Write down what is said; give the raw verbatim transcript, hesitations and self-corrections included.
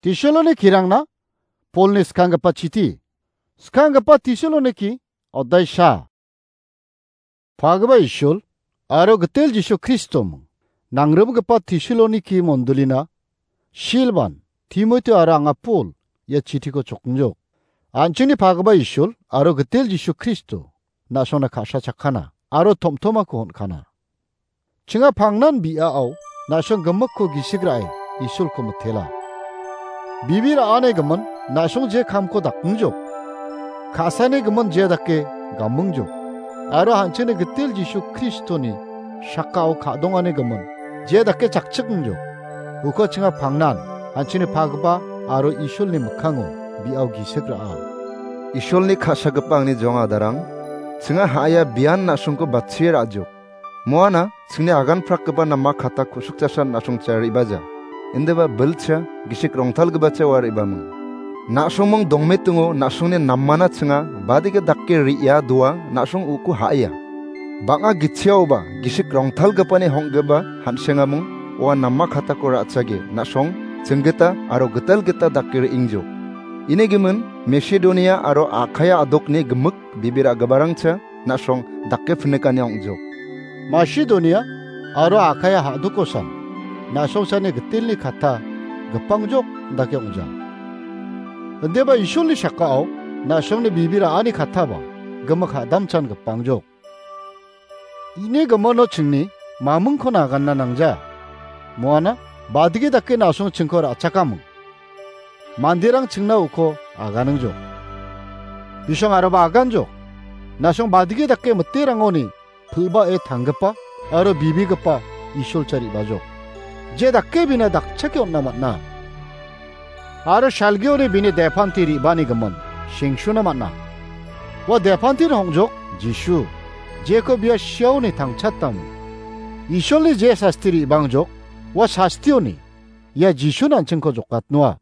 Tesaloniki-rangna Polni skanggipa chiti. Skanggipa Tesaloniki, odaisa. Pagipa Isul aro Gitel Jisu Kristom, nangrimgipa Tesaloniki mondolina Silban, Timoti aro anga Pol ia chitiko chokingjok. An·chingni pagipa Isul aro Gitel Jisu Kristo na·songna ka·sa chakkana aro tom·tomako on·kana. Chinga pangnan bi·ao na·song gimikko gisik ra·e Isulko mitela. Bibi ra·ani gimin na·song je kamko dakingjok. Ka·sani gimin je dake gamingjok. Aro an·chingni Gitel Jisu Kristoni sakao ka·dongani gimin je dake chakchikingjok. Uko chinga pangnan an·chingni pagipa aro Isulni mikkango bi·ao gisik ra·a. Isulni ka·sagipa angni jong adarang, chinga ha·aia bian na·songko batchie ra·jok. Moana chingni agan prakgipa nama kata ku·sukjasan na·songcha re·baja. Indiba bilcha gisik rongtalgipacha ua re·baming. Na·songming dongmetingo na·songni namana chinga badike dake re·ia doa na·song uko ha·aia. Bang·a gitchiaoba gisik rongtalgipani hong·gipa han·sengaming ua nama katako ra·chage na·song chinggita aro gitalgita dake re·ingjok. Ini gimin Masedonia aro Akaia adokni gimik bibir a·giparangcha na·song dake pinikani ong·jok. Masedonia aro Akaia ha·dokosan na·songsani Gitelni kata gipangjok dake ong·ja. Indiba Isulni sakao na·songni bibir a·ani kataba gimik ha·damchan gipangjok. Ini gimino chingni mamingko naganna nangja. Moana badigi dake na·song chingko ra·chakaming. Manderang chingna uko aganingjok. Bisong aroba aganjok. Na·song badigi dake miterangoni pil·bae tanggipa aro bibigipa Isolcha re·bajok. Je dake bina dakchake on·na man·a. Aro salgioni bini depanti re·bani gimin sengsuna man·a. Ua depantin hong·jok Jisu, jeko bia siaoni tangchatamo. Isolni je sasti re·bangjok, ua sastioni ia Jisun an·chingko jokatnoa.